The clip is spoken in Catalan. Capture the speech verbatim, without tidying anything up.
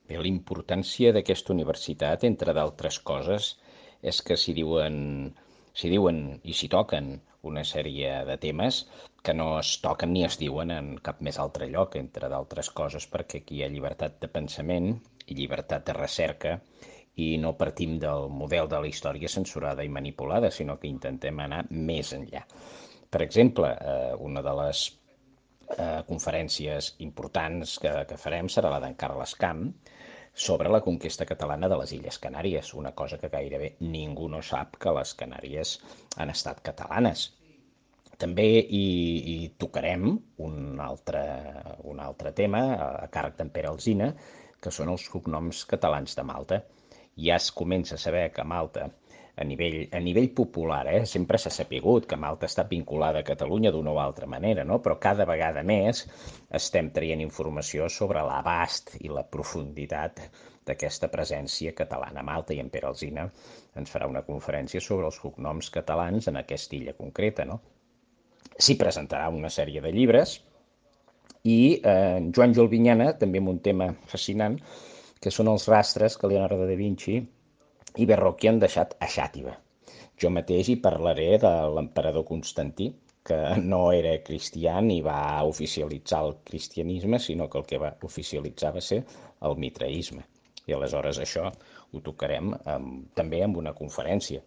Bé, la importància d'aquesta universitat, entre d'altres coses, és que s'hi diuen, s'hi diuen i s'hi toquen una sèrie de temes que no es toquen ni es diuen en cap més altre lloc, entre d'altres coses, perquè aquí hi ha llibertat de pensament i llibertat de recerca i no partim del model de la història censurada i manipulada, sinó que intentem anar més enllà. Per exemple, eh, una de les eh, conferències importants que, que farem serà la d'en Carles Camp sobre la conquesta catalana de les Illes Canàries, una cosa que gairebé ningú no sap, que les Canàries han estat catalanes. També hi, hi tocarem un altre, un altre tema a càrrec d'en Pere Alsina, que són els cognoms catalans de Malta. Ja es comença a saber que Malta, a nivell, a nivell popular, eh, sempre s'ha sapigut que Malta està vinculada a Catalunya d'una o altra manera, no? Però cada vegada més estem traient informació sobre l'abast i la profunditat d'aquesta presència catalana a Malta, i en Pere Alsina ens farà una conferència sobre els cognoms catalans en aquesta illa concreta, no? S'hi presentarà una sèrie de llibres i eh, Joan Jolvinyana, també amb un tema fascinant, que són els rastres que Leonardo da Vinci i Verrocchio han deixat a Xàtiva. Jo mateix hi parlaré de l'emperador Constantí, que no era cristià ni va oficialitzar el cristianisme, sinó que el que va oficialitzar va ser el mitraisme. I aleshores això ho tocarem amb, també amb una conferència.